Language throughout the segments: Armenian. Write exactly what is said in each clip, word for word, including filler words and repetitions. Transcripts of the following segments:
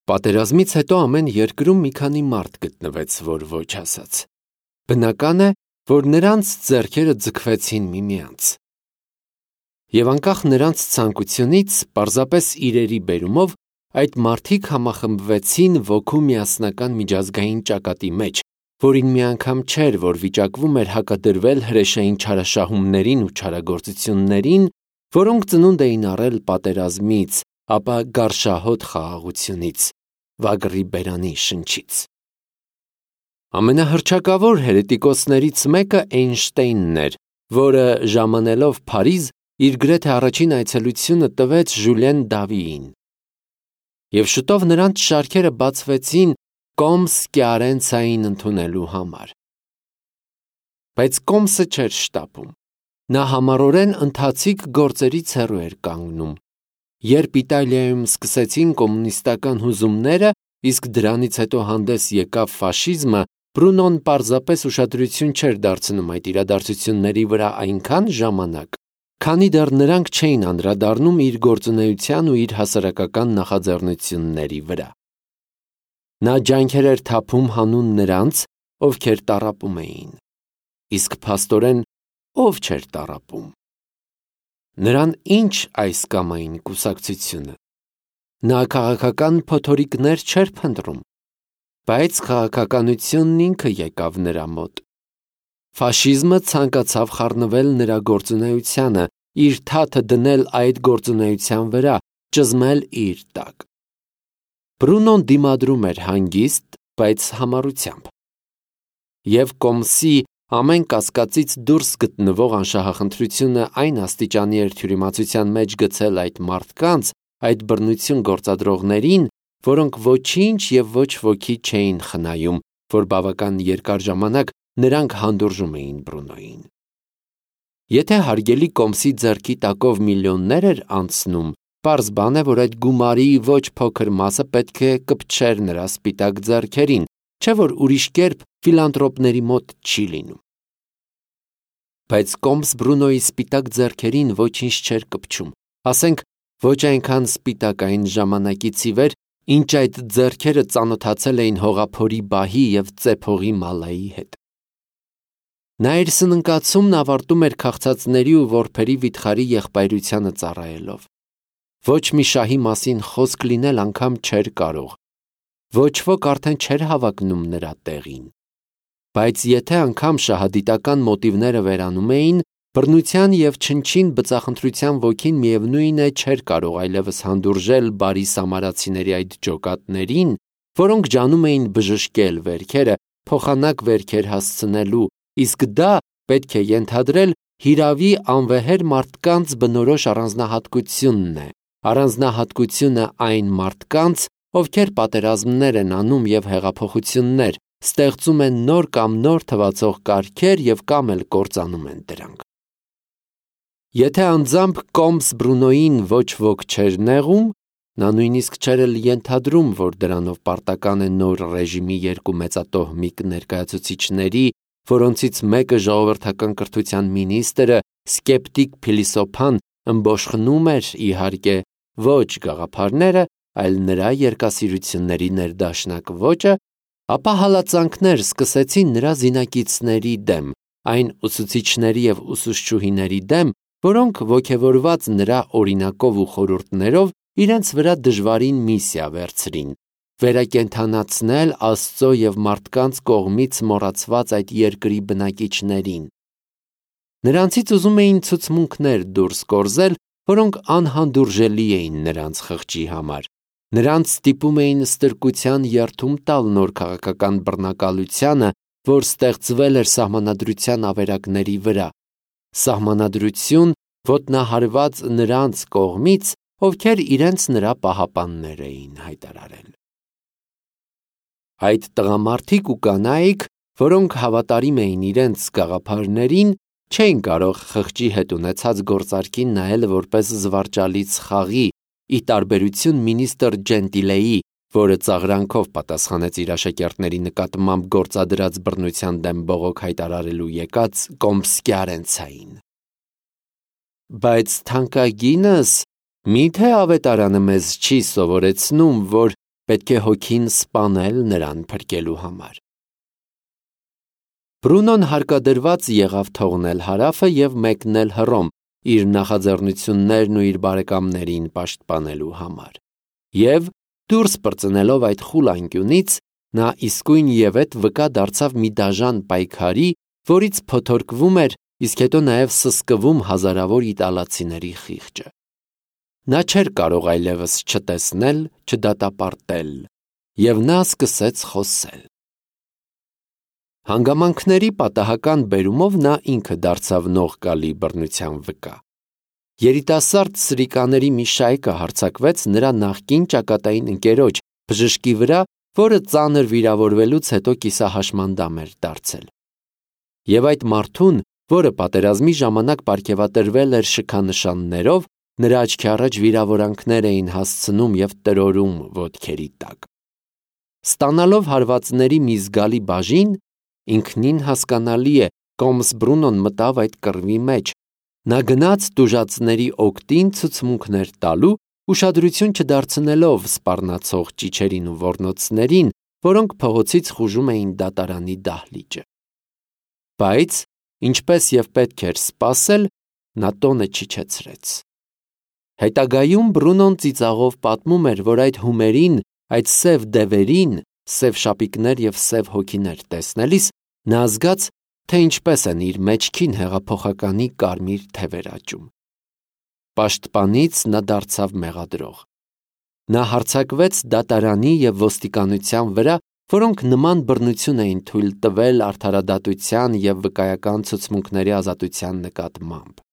Պատերազմից հետո ամեն երկրում մի քանի մարդ գտնվեց, որ ոչ ասաց։ Բնական է, որ նրանց ձեռքերը ձգվեցին միմյանց։ Եվ անկախ նրանց ցանկությունից, պարզապես իրերի բերումով, այդ մարդիկ համախմբվեցին ոգու միասնական միջազգային ճակատի մեջ, որին մի անգամ չէր, որ վիճակվում էր հակադրվել հրեշային չարաշահումներին ու չարագործություններին, որոնք ծնունդ էին առել պատերազմից, ապա գարշահոտ խաղաղությունից, վագրի բերանի շնչից։ Ամենահռչակավոր հերետիկոսներից մեկը Էյնշտեյնն էր, որը ժամանելով Փարիզ իր գրեթե առաջին այցելությունը տվեց Ժուլիեն Դավիին։ Եվ շուտով նրանց շարքերը բացվեցին Կոմս-Կիարենցային ընդունելու համար։ Բայց Կոմսը չէր շտապում։ Նա համառորեն ընթացիկ գործերից հեռու էր կանգնում։ Երբ Իտալիայում սկսեցին կոմունիստական հուզումները, իսկ դրանից հետո հանդես եկավ ֆաշիզմը, Բրունոն պարզապես ուշադրություն չէր դարձնում այդ իրադարձությունների վրա այնքան ժամանակ, քանի դեռ նրանք չէին անդրադառնում իր գործունեության ու իր հասարակական նախաձեռնությունների վրա։ Նա ջանքեր էր թափում հանուն նրանց, ովքեր տառապում էին, իսկ փաստորեն ով չէր տառապում։ Նրան ինչ այս կամ այն կուսակցությունը։ Նա քաղաքական փոթորիկներ չէր փնտրում, բայց քաղաքականությունն ինքը եկավ նրա մոտ։ Ֆաշիզմը ցանկացավ խառնվել նրա գործունեությանը, իր թաթը դնել այդ գործունեության վրա, ճզմել իր տակ։ Բրունոն դիմադրում էր հանգիստ, բայց համառությամբ։ Եվ Կոմսի ամեն կասկածից դուրս գտնվող անշահախնդրությունը այն աստիճանի էր թյուրիմացության մեջ գցել այդ մարդկանց, այդ բռնություն գործադրողներին, որոնք ոչինչ և ոչ ոքի չէին խնայում, որ բավական երկար ժամանակ նրանք հանդուրժում էին Բրունոյին։ Եթե հարգելի Կոմսի ձեռքի տակով միլիոններ էր անցնում, պարզ բան է, որ այդ գումարի ոչ փոքր մասը պետք է կպչեր նրա սպիտակ ձեռքերին, չէ որ ուրիշ կերպ ֆիլանտրոպների մոտ չի լինում։ Բայց Կոմս Բրունոյի սպիտակ ձեռքերին ոչինչ չէր կպչում, ասենք ոչ այնքան սպիտակ այն ժամանակից ի վեր, ինչ այդ ձեռքերը ծանոթացել էին հողափորի բահի և ծեփողի մալայի հետ։ Նա իր սննկացումն ավարտում էր քաղցածների ու որբերի վիթխարի եղբայրությանը ծառայելով։ Ոչ մի շահի մասին խոսք լինել անգամ չէր կարող, ոչ ոք արդեն չէր հավակնում նրա տեղին։ Բայց եթե անգամ շահադիտական մոտիվները վերանում էին, բռնության և չնչին բծախնդրության ոգին միևնույն է չէր կարող այլևս հանդուրժել բարի սամարացիների այդ ջոկատներին, որոնք ջանում էին բժշկել վերքերը, փոխանակ վերքեր հասցնելու, իսկ դա պետք է ենթադրել հիրավի անվեհեր մարդկանց բնորոշ առանձնահատկությունն է, առանձնահատկությունը այն մարդկանց, ովքեր պատերազմներ են անում և հեղափոխություններ, ստեղծում են նոր կամ նոր թվացող կարգեր և կամ էլ կործանում են դրանք։ Եթե անձամբ Կոմս Բրունոյին ոչ ոք չէր նեղում, նա նույնիսկ չէր էլ ենթադրում, որ դրանով պարտական է նոր ռեժիմի երկու մեծատոհմիկ ներկայացուցիչների, որոնցից մեկը ժողովրդական կրթության մինիստրը, սկեպտիկ փիլիսոփան, ըմբոշխնում էր, իհարկե, ոչ գաղափարները, այլ նրա երկասիրությունների ներդաշնակ ոճը, ապա հալածանքներ սկսեցին նրա զինակիցների դեմ, այն ուսուցիչների և ուսուցչուհիների դեմ, որոնք ոգևորված նրա օրինակով ու խորհուրդներով իրենց վրա դժվարին միսիա վերցրին, վերակենդանացնել Աստծո և մարդկանց կողմից մոռացված այդ երկրի բնակիչներին։ Նրանցից ուզում էին ցուցմունքներ դուրս կորզել, որոնք անհանդուրժելի էին նրանց խղճի համար։ Նրանց ստիպում էին ստրկության երդում տալ նոր քաղաքական բռնակալությանը, որ ստեղծվել էր սահմանադրության ավերակների վրա, սահմանադրություն ոտնահարված նրանց կողմից, ովքեր իրենց նրա պահապաններ էին հայտարարել։ Այդ տղամարդիկ ու կանայք, որոնք հավատարիմ էին իրենց գաղափարներին, չէին կարող խղճի հետ ունեցած գործարքին նայել որպես զվարճալից խաղի, ի տարբերություն մինիստր Ջենտիլեի, որը ծաղրանքով պատասխանեց իր աշակերտների նկատմամբ գործադրած բռնության դեմ բողոք հայտարարելու եկած Կոմս-Կիարենցային։ Բայց թանկագինս, մի՞թե ավետարանը մեզ չի սովորեցնում, որ պետք է հոգին սպանել նրան փրկելու համար։ Բրունոն հարկադրված եղավ թողնել հարավը և մեկնել Հռոմ իր նախաձեռնություններն ու իր բարեկամներին պաշտպանելու համար։ Եվ դուրս պրծնելով այդ խուլ անկյունից, նա իսկույն ևեթ վկա դարձավ մի դաժան պայքարի, որից փոթորկվում էր, իսկ հետո նաև սսկվում հազարավոր իտալացիների խիղճը։ Նա չէր կարող այլևս չտեսնել, չդատապարտել, և նա սկսեց խոսել։ Հանգամանքների պատահական բերումով նա ինքը դարձավ նողկալի բռնության վկա։ Երիտասարդ սրիկաների մի շայկը հարձակվեց նրա նախկին ճակատային ընկերոջ բժշկի վրա, որը ծանր վիրավորվելուց հետո կիսահաշմանդամ էր դարձել։ Եվ այդ մարդուն, որը պատերազմի ժամանակ պարգևատրվել էր շքանշաններով, նրա աչքի առաջ վիրավորանքներ էին հասցնում և տրորում ոտքերի տակ։ Ստանալով հարվածների մի զգալի բաժին, ինքնին հասկանալի է, Կոմս Բրունոն մտավ այդ կռվի մեջ։ Նա գնաց տուժածների օգտին ցուցմունքներ տալու, ուշադրություն չդարձնելով սպառնացող ճիչերին ու ոռնոցներին, որոնք փողոցից խուժում էին դատարանի դահլիճը։ Բայց, ինչպես և պետք էր սպասել, նա տոնը չիջեցրեց։ Հետագայում Բրունոն ծիծաղով պատմում էր, որ այդ հումերին, այդ սև դևերին, սև շապիկներ և սև հոգիներ տեսնելիս, նա զգաց, թե ինչպես են իր մեջքին հեղափոխականի կարմիր թևեր աճում։ Պաշտպանից նա դարձավ մեղադրող։ Նա հարձակվեց դատարանի և ոստիկանության վրա, որոնք նման բռնություն էին թույլ տվել արդարադատության և վկայական ցուցմունքների ազատության նկատմամբ։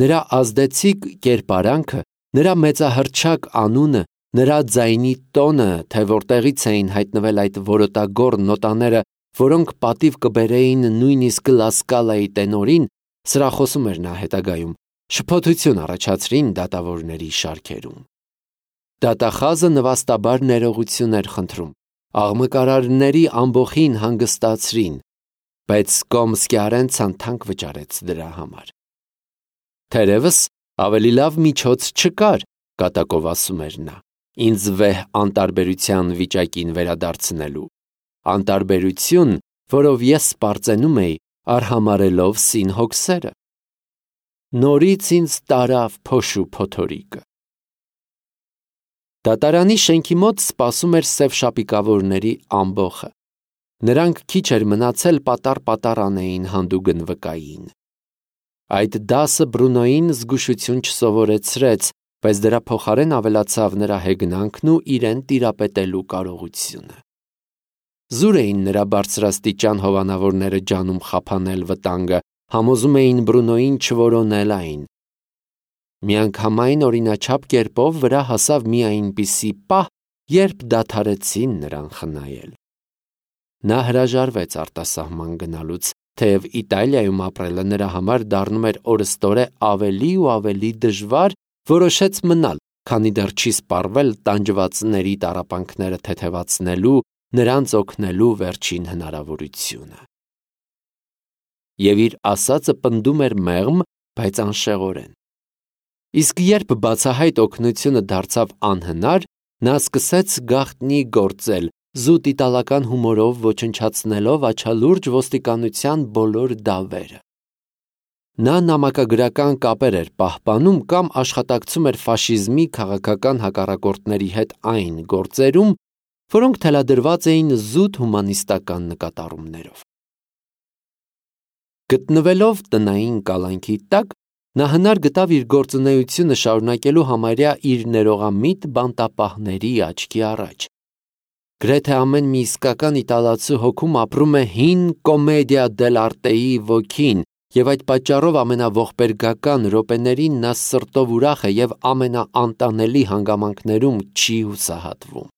Նրա ազդեցիկ կերպարանքը, նրա մեծահռչակ անունը, նրա ձայնի տոնը, թե որտեղից էին հայտնվել այդ որոտագոռ նոտաները, որոնք պատիվ կբերեին նույնիսկ Լասկալայի տենորին, սրախոսում էր նա հետագայում, շփոթություն առաջացրին դատավորների շարքերում։ Դատախազը նվաստաբար ներողություն էր խնդրում, աղմկարարների ամբոխին հանգստացրին, բայց Կոմսկիարենցան թանկ վճարեց դրա համար։ Թերևս ավելի լավ միջոց չկար, կատակով ասում էր նա, ինձ վեհ անտարբերության վիճակին վերադարձնելու, անտարբերություն, որով ես սպառծենում էի, արհամարհելով սին հոգսերը։ Նորից ինձ տարավ փոշու փոթորիկը։ Դատարանի շենքի մոտ սպասում էր սև շապիկավորների ամբոխը։ Նրանք քիչ էր մնացել պատառ-պատառ անեին հանդուգն վկային։ Այդ դասը Բրունոյին զգուշություն չսովորեցրեց, բայց դրա փոխարեն ավելացավ նրա հեգնանքն ու իրեն տիրապետելու կարողությունը։ Զուր էին նրա բարձրաստիճան հովանավորները ջանում խափանել վտանգը, համոզում էին Բրունոյին չորոնել այն։ Միանգամայն օրինաչափ կերպով վրա հասավ մի այնպիսի պահ, երբ դադարեցին նրան խնայել։ Նա հրաժարվեց արտասահման գնալուց, թեև Իտալիայում ապրելը նրա համար դառնում էր օրըստօրե ավելի ու ավելի դժվար, որոշեց մնալ, քանի դեռ չի սպառվել տանջվածների տառապանքները թեթևացնելու, նրանց օգնելու վերջին հնարավորությունը։ Եվ իր ասածը պնդում էր մեղմ, բայց անշեղորեն։ Իսկ երբ բացահայտ օգնությունը դարձավ անհնար, նա սկսեց գաղտնի գործել, զուտ իտալական հումորով ոչնչացնելով աչալուրջ ոստիկանության բոլոր դավերը։ Նա նամակագրական կապեր էր պահպանում կամ աշխատակցում էր ֆաշիզմի քաղաքական հակառակորդների հետ այն գործերում, որոնք թելադրված էին զուտ հումանիստական նկատառումներով։ Գտնվելով տնային կալանքի տակ, նա հնար գտավ իր գործունեությունը շարունակելու համարյա իր ներողամիտ բանտապահների աչքի առաջ։ Գրեթե ամեն մի իսկական իտալացու հոգում ապրում է հին կոմեդիա դել'արտեի ոգին, և այդ պատճառով ամենաողբերգական րոպեներին նա սրտով ուրախ է և ամենաանտանելի հանգամանքներում չի հուսահատվում։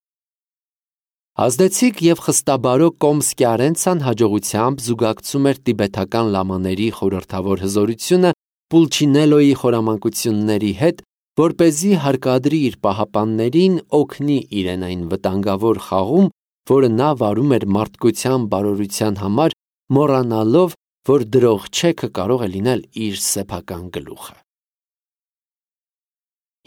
Ազդեցիկ և խստաբարո Կոմսկիարենցան հաջողությամբ զուգակցում էր տիբեթական լամաների խորհրդավոր հզորությունը Պուլչինելոյի խորամանկությունների հետ, որպեսզի հարկադրի իր պահապաններին օգնի իրեն այն վտանգավոր խաղում, որը նա վարում էր մարդկության բարօրության համար, մոռանալով, որ դրող-չեքը կարող է լինել իր սեփական գլուխը։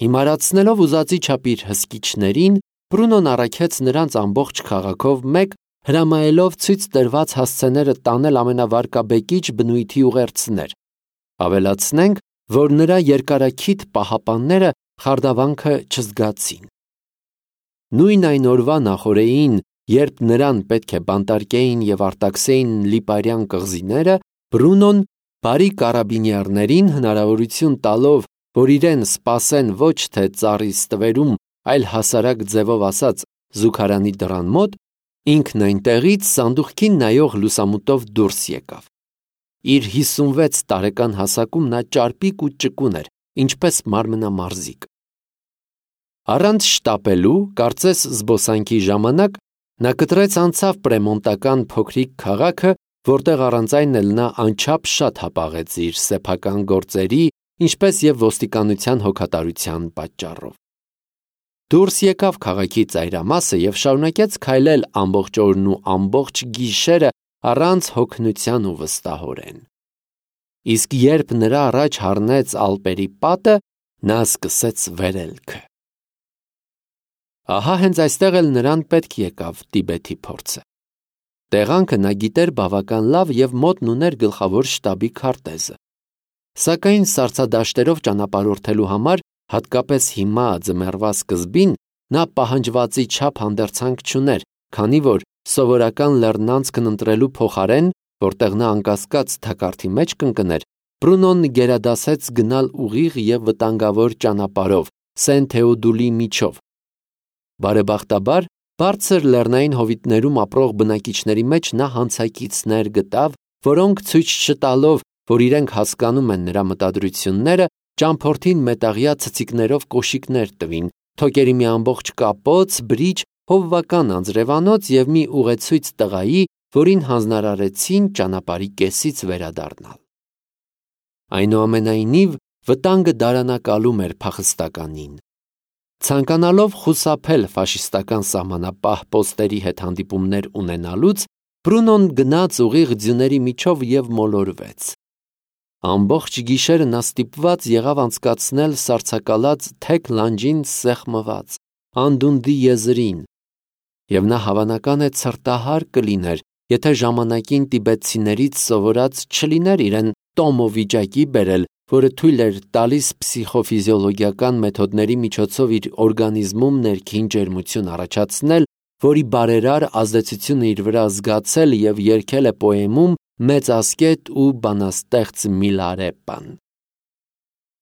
Հիմարացնելով ուզածի չափ իր հսկիչներին, Բրունոն առաքեց նրանց ամբողջ քաղաքով մեկ, հրամայելով ցույց տրված հասցեները տանել ամենավարկաբեկիչ բնույթի ուղերձներ։ Ավելացնենք, որ նրա երկարաքիթ պահապանները խարդավանքը չզգացին։ Նույն այն օրվա նախօրեին, երբ նրան պետք է բանտարկեին եւ արտաքսեին Լիպարյան կղզիները, Բրունոն բարի կարաբինյարներին հնարավորություն տալով, որ իրեն սպասեն ոչ թե ծառի ստվերում, այլ հասարակ ձևով ասած զուգարանի դռան մոտ, ինքն այնտեղից սանդուղքին նայող լուսամուտով դուրս եկավ։ Իր հիսունվեց տարեկան հասակում նա ճարպիկ ու ճկուն էր, ինչպես մարմնամարզիկ։ Առանց շտապելու, կարծես զբոսանքի ժամանակ, նա կտրեց անցավ պրեմոնտական փոքրիկ քաղաքը, որտեղ առանց այն էլ նա անչափ շատ հապաղեց իր սեփական գործերի, ինչպես եւ ոստիկանության հոգատարության պատճառով։ Դուրս եկավ քաղաքի ծայրամասը եւ շարունակեց քայլել ամբողջ օրն ու ամբողջ գիշերը առանց հոգնության ու վստահորեն։ Իսկ երբ նրա առաջ հառնեց Ալպերի պատը, նա սկսեց վերելքը։ Ահա հենց այստեղ էլ նրան պետք եկավ Տիբեթի փորձը։ Տեղանքը նա գիտեր բավական լավ եւ մոտն ուներ գլխավոր շտաբի քարտեզը։ Սակայն սառցադաշտերով ճանապարհորդելու համար, հատկապես հիմա ձմեռվա սկզբին, նա պահանջվածի չափ հանդերձանք չուներ, քանի որ սովորական լեռնանցքն ընտրելու փոխարեն, որտեղ նա անկասկած թակարդի մեջ կընկներ, Բրունոն գերադասեց գնալ ուղիղ եւ վտանգավոր ճանապարհով Սեն Թեոդուլի միջով։ Բարեբախտաբար, բարձր լեռնային հովիտներում ապրող բնակիչների մեջ նա հանցակիցներ գտավ, որոնք ցույց չտալով, որ իրենք հասկանում են նրա մտադրությունները, ճամփորդին մետաղյա ցցիկներով կոշիկներ տվին, թոկերի մի ամբողջ կապոց, բրիջ, հովվական անձրևանոց եւ մի ուղեցույց տղայի, որին հանձնարարեցին ճանապարհի կեսից վերադառնալ։ Այնուամենայնիվ, վտանգը դարանակալում էր փախստականին։ Ցանկանալով խուսափել ֆաշիստական սահմանապահ պոստերի հետ հանդիպումներ ունենալուց, Բրունոն գնաց ուղիղ ձյուների միջով եւ մոլորվեց։ Ամբողջ գիշերը նա ստիպված եղավ անցկացնել սառցակալած թեք լանջին սեղմված, անդունդի եզրին, եւ նա հավանական է ցրտահար կլիներ, եթե ժամանակին տիբետցիներից սովորած չլիներ իրեն տոմո վիճակի բերել, որը թույլ էր տալիս փսիխոֆիզիոլոգիական մեթոդների միջոցով իր օրգանիզմում ներքին ջերմություն առաջացնել, որի բարերար ազդեցությունը իր վրա զգացել եւ երգել է պոեմում մեծ ասկետ ու բանաստեղծ Միլարեպան։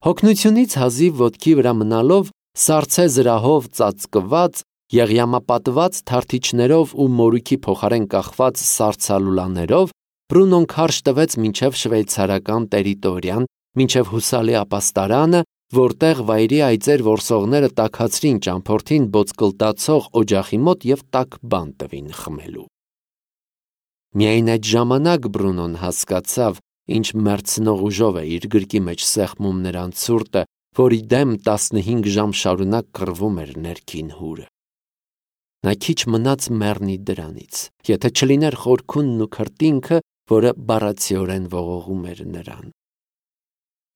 Հոգնությունից հազիվ ոտքի վրա մնալով, սառցե զրահով ծածկված, եղյամապատված թարթիչներով ու մորուքի փոխարեն կախված սառցալուլաներով, Բրունոն քարշ տվեց մինչև շվեյցարական տերիտորիան, մինչև հուսալի ապաստարանը, որտեղ վայրի այծեր որսողները տաքացրին ճամփորդին բոցկլտացող օջախի մոտ եւ տաք բան տվին խմելու։ Միայն այդ ժամանակ Բրունոն հասկացավ, ինչ մեռցնող ուժով է իր գրկի մեջ սեղմում նրան ցուրտը, որի դեմ տասնհինգ ժամ շարունակ կռվում էր ներքին հուրը։ Նա քիչ մնաց մեռնի դրանից, եթե չլիներ խորքունն ու քրտինքը, որը բառացիորեն ողողում էր նրան։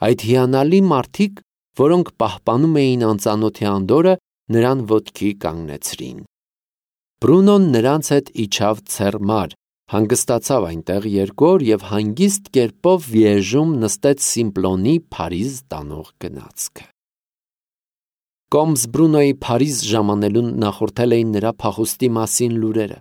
Այդ հիանալի մարդիկ, որոնք պահպանում էին անծանոթի անդորը, նրան ոտքի կանգնեցրին։ Բրունոն նրանց հետ իջավ Ցերմար, հանգստացավ այնտեղ երկու օր եւ հանգիստ կերպով Վիեժում նստեց Սիմպլոնի Փարիզ տանող գնացքը։ Կոմս Բրունոյի Փարիզ ժամանելուն նախորդել էին նրա փախուստի մասին լուրերը։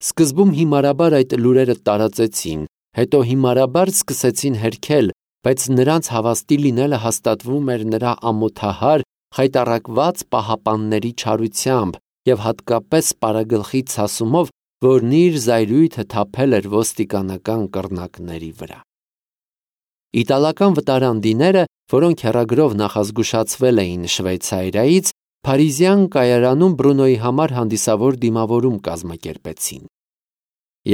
Սկզբում հիմարաբար այդ լուրերը տարածեցին, հետո հիմարաբար սկսեցին հերքել, բայց նրանց հավաստի լինելը հաստատվում էր նրա ամոթահար, խայտառակված պահապանների չարությամբ եւ հատկապես պարագլխի ցասումով, որն իր զայրույթը թափել էր ոստիկանական կռնակների վրա։ Իտալական վտարանդիները, որոնք հեռագրով նախազգուշացվել էին Շվեյցարիայից, Փարիզյան կայարանում Բրունոյի համար հանդիսավոր դիմավորում կազմակերպեցին։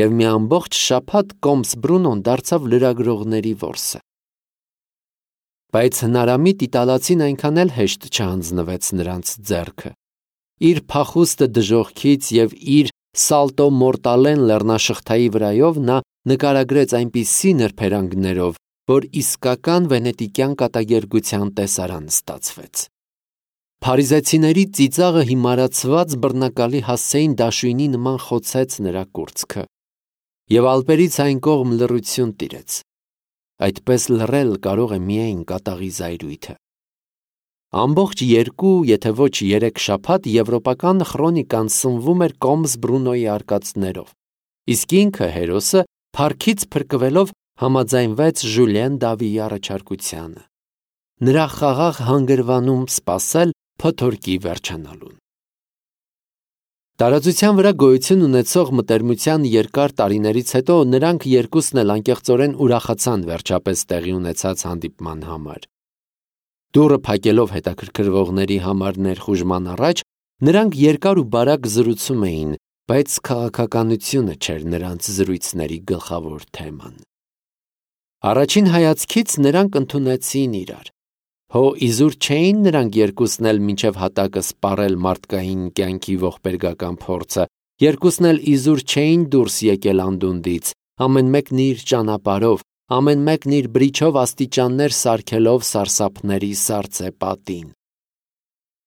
Եվ մի ամբողջ շաբաթ Կոմս Բրունոն դարձավ լրագրողների որսը։ Բայց հնարամիտ իտալացին այնքան էլ հեշտ չհանձնվեց նրանց ձեռքը։ Իր փախուստը դժոխքից եւ իր Սալտո Մորտալեն լեռնաշղթայի վրայով նա նկարագրեց այնպիսի նրբերանգներով, որ իսկական վենետիկյան կատակերգության տեսարան ստացվեց։ Փարիզեցիների ծիծաղը հիմարացված բռնակալի հասցեին դաշույնի նման խոցեց նրա կուրծքը, և ալպերից այն կողմ լռություն տիրեց։ Այդպես լռել կարող է միայն կատաղի զայրույթը։ Ամբողջ երկու, եթե ոչ երեք շաբաթ եվրոպական խրոնիկան սնվում էր Կոմս Բրունոյի արկածներով, իսկ ինքը հերոսը փառքից փրկվելով համաձայնվեց Ժուլիեն Դավիի առաջարկությանը, նրա խաղաղ հանգրվանում սպասել փոթորկի վերջանալուն։ Տարածության վրա գոյություն ունեցող մտերմության երկար տարիներից հետո նրանք երկուսն էլ անկեղծորեն ուրախացան վերջապես տեղի ունեցած հանդիպման համար։ Դուռը փակելով հետաքրքրվողների համար ներխուժման առաջ, նրանք երկար ու բարակ զրուցում էին, բայց քաղաքականությունը չէր նրանց զրույցների գլխավոր թեման։ Առաջին հայացքից նրանք ընդունեցին իրար։ Հո իզուր չէին նրանք երկուսն էլ մինչև հատակը սպառել մարդկային կյանքի ողբերգական փորձը, երկուսն էլ իզուր չէին դուրս եկել անդունդից, ամեն մեկն իր ճանապարհով, ամեն մեկն իր բրիչով աստիճաններ սարքելով սարսափների սառցե պատին։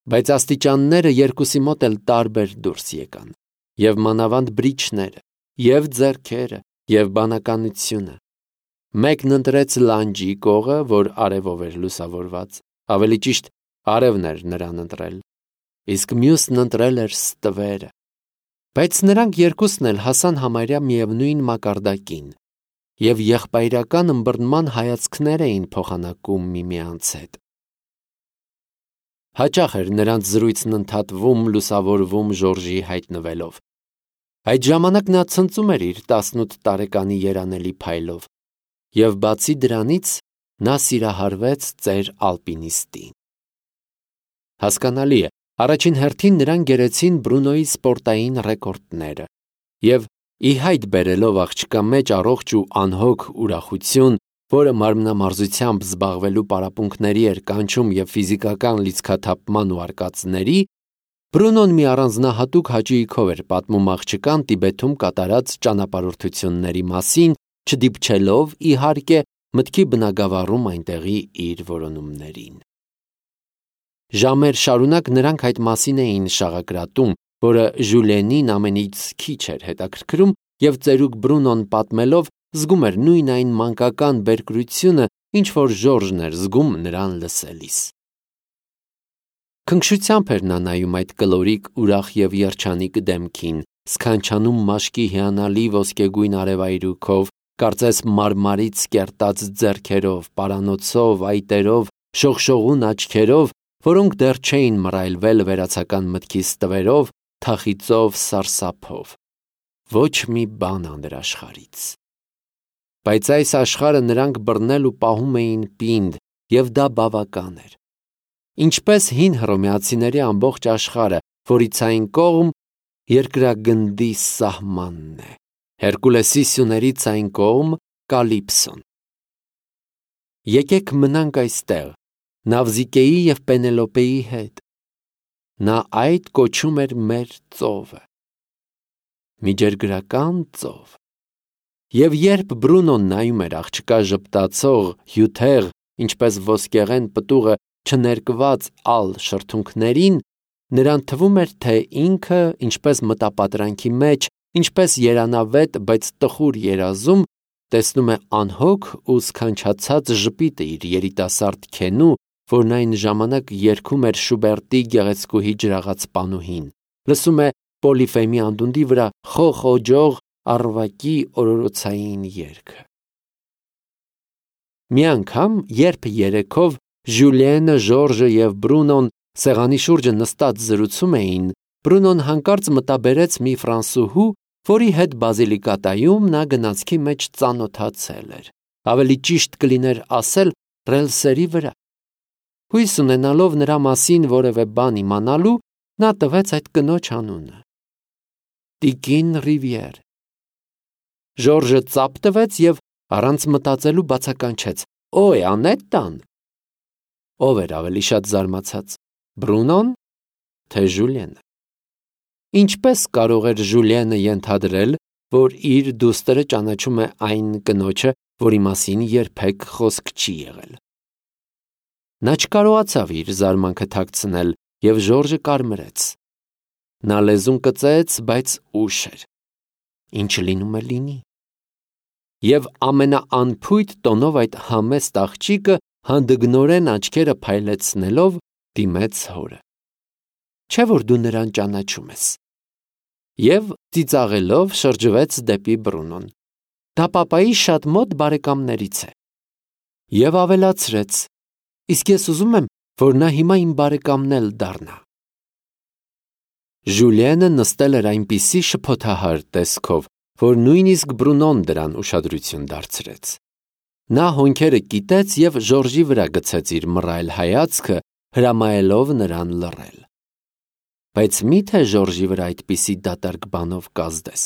Բայց աստիճանները երկուսի մոտ էլ տարբեր դուրս եկան, և մանավանդ բրիչները, և ձեռքերը, և բանականությունը։ Մեկն ընտրեց լանջի կողը, որ արևով էր լուսավորված, ավելի ճիշտ արևն էր նրան ընտրել, իսկ մյուսն ընտրել էր ստվերը։ Բայց նրանք երկուսն էլ հասան համարյա միևնույն մակարդակին, և եղբայրական ըմբռնման հայացքներ էին փոխանակում միմյանց հետ։ Հաճախ էր նրանց զրույցն ընդհատվում, լուսավորվում Ժորժի հայտնվելով։ Այդ ժամանակ նա ցնծում էր իր տասնութ տարեկանի երանելի փայլով, և բացի դրանից նա սիրահարվեց ծեր ալպինիստին։ Հասկանալի է, առաջին հերթին նրան գերեցին Բրունոյի սպորտային ռեկորդները, և ի հայտ բերելով աղջկա մեջ առողջ ու անհոգ ուրախություն, որը մարմնամարզությամբ զբաղվելու պարապմունքների էր կանչում և ֆիզիկական լիցքաթափման ու արկածների, Բրունոն մի առանձնահատուկ հաճույքով էր պատմում աղջկան Տիբեթում կատարած ճանապարհորդությունների մասին, չդիպչելով, իհարկե, մտքի բնագավառում այնտեղի իր որոնումներին։ Ժամեր շարունակ նրանք այդ մասին էին շաղակրատում, որը Ժուլիենին ամենից քիչ էր հետաքրքրում, և ծերուկ Բրունոն պատմելով զգում էր նույն այն մանկական բերկրությունը, ինչ որ Ժորժն էր զգում նրան լսելիս։ Քնքշությամբ էր նա նայում այդ կլորիկ, ուրախ և երջանիկ դեմքին, սքանչանում մաշկի հիանալի ոսկեգույն արևայրուքով, կարծես մարմարից կերտած ձեռքերով, պարանոցով, այտերով, շողշողուն աչքերով, որոնք դեռ չէին մռայլվել վերացական մտքի ստվերով, թախիծով, սարսափով։ Ոչ մի բան անդրաշխարհից։ Բայց այս աշխարհը նրանք բռնել ու պահում էին պինդ, և դա բավական էր։ Ինչպես հին հռոմեացիների ամբողջ աշխարհը, որից այն կողմ երկրագնդի սահմանն է, Հերկուլեսի սյուներից այն կողմ Կալիպսոն։ Եկեք մնանք այստեղ, Նավզիկեի և Պենելոպեի հետ։ Նա այդ կոչում էր մեր ծովը։ Միջերգրական ծով։ Եվ երբ Բրունոն նայում էր աղջկա ժպտացող, հյութեղ, ինչպես ոսկեղեն պտուղը չներկված ալ շրթունքներին, նրան թվում էր, թե ինքը, ինչպես մտապատրանքի մեջ, ինչպես երանավետ, բայց տխուր երազում, տեսնում է անհոգ ու սքանչացած ժպիտը իր երիտասարդ քենու, որն այն ժամանակ երգում էր Շուբերտի Գեղեցկուհի ջրաղաց պանուհին, լսում է Պոլիֆեմի անդունդի վրա խոխոջող առվակի օրորոցային երգը։ Մի անգամ, երբ երեքով Ժուլիենը, Ժորժը և Բրունոն սեղանի շուրջը նստած զրուցում էին, Բրունոն հանկարծ մտաբերեց մի ֆրանսուհու, որի հետ Բազիլիկատայում նա գնացքի մեջ ծանոթացել էր, ավելի ճիշտ կլիներ ասել ռելսերի վրա։ Հույս ունենալով նրա մասին որևէ բան իմանալու, նա տվեց այդ կնոջ անունը։ Տիկին Ռիվիեր։ Ժորժը ծափ տվեց և առանց մտածելու բացականչեց. «Օ՜, Անետտան»։ Ով էր ավելի շատ զարմացած՝ Բրունոն, թե Ժուլիենը։ Ինչպես կարող էր Ժուլիենը ենթադրել, որ իր դուստրը ճանաչում է այն կնոջը, որի մասին երբեք խոսք չի եղել։ Նա չկարողացավ իր զարմանքը թաքցնել, և Ժորժը կարմրեց։ Նա լեզուն կծեց, բայց ուշ էր։ Ինչ լինում է լինի։ Եվ ամենաանփույթ տոնով այդ համեստ աղջիկը հանդգնորեն աչքերը փայլեցնելով դիմեց հորը. «Չէ՞ որ դու նրան ճանաչում ես»։ Եվ ծիծաղելով շրջվեց դեպի Բրունոն. «Դա պապայի շատ մոտ բարեկամներից է»։ Եվ ավելացրեց. «Իսկ ես ուզում եմ, որ նա հիմա իմ բարեկամն էլ դառնա»։ Ժուլիենը նստել էր այնպիսի շփոթահար տեսքով, որ նույնիսկ Բրունոն դրան ուշադրություն դարձրեց։ Նա հոնքերը կիտեց և Ժորժի վրա գցեց իր մռայլ հայացքը, հրամայելով նրան լռել։ Բայց մի՞թե Ժորժի վրա այդպիսի դատարկ բանով կազդես։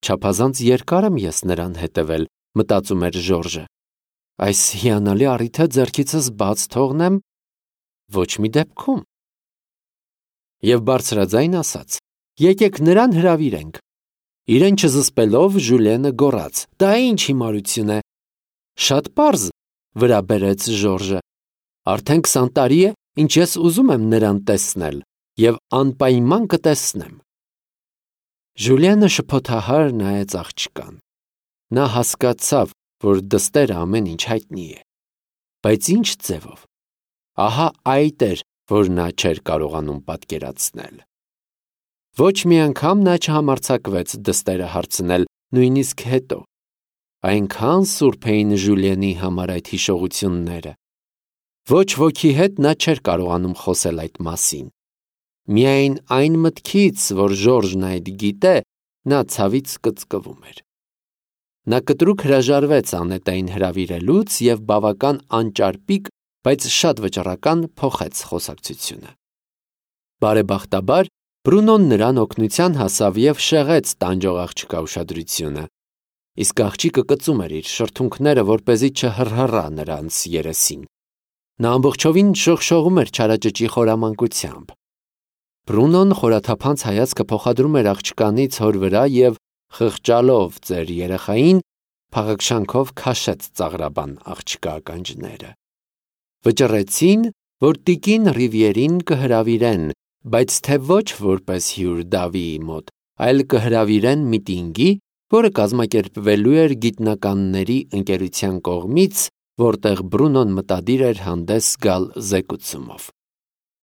Չափազանց երկար եմ ես նրան հետևել, մտածում էր Ժորժը։ Այս հիանալի առիթը ձեռքիցս բաց թողնեմ, ոչ մի դեպքում։ Եվ բարձրաձայն ասաց. «Եկեք նրան հրավիրենք»։ Իրեն չզսպելով Ժուլիենը գոռաց. «Դա ինչ հիմարություն է»։ «Շատ պարզ», վրա բերեց Ժորժը։ «Արդեն քսան տարի է, ինչ ես ուզում եմ նրան տեսնել, և անպայման կտեսնեմ»։ Ժուլիենը շփոթահար նայեց աղջկան։ Նա հասկացավ, որ դստերը ամեն ինչ հայտնի է։ Բայց ինչ ձևով։ Ահա այդ էր, որ նա չէր կարողանում պատկերացնել։ Ոչ մի անգամ նա չհամարձակվեց դստերը հարցնել, նույնիսկ հետո։ Այնքան սուրբ էին Ժուլիենի համար այդ հիշողությունները։ Ոչ ոքի հետ նա չէր կարողանում խոսել այդ մասին։ Միայն այն մտքից, որ Ժորժն այդ գիտե, նա ցավից կծկվում էր։ Նա կտրուկ հրաժարվեց Անետային հրավիրելուց և բավական անճարպիկ, բայց շատ վճռական փոխեց խոսակցությունը։ Բարեբախտաբար, Բրունոն նրան օգնության հասավ և շեղեց տանջող աղջկա ուշադրությունը, իսկ աղջիկը կծում էր իր շրթունքները, որպեսզի չհռհռա նրանց երեսին։ Նա ամբողջովին շողշողում էր չարաճճի խորամանկությամբ։ Բրունոն խորաթափանց հայացքը փոխադրում էր աղջկանից հոր վրա և, խղճալով ծեր երեխային, փաղաքշանքով քաշեց ծաղրաբան աղջկա ականջները։ Վճռեցին, որ տիկին Ռիվիերին կհրավիրեն, բայց թե ոչ որպես հյուր Դավիի մոտ, այլ կհրավիրեն միտինգի, որը կազմակերպվելու էր գիտնականների ընկերության կողմից, որտեղ Բրունոն մտադիր էր հանդես գալ զեկուցումով։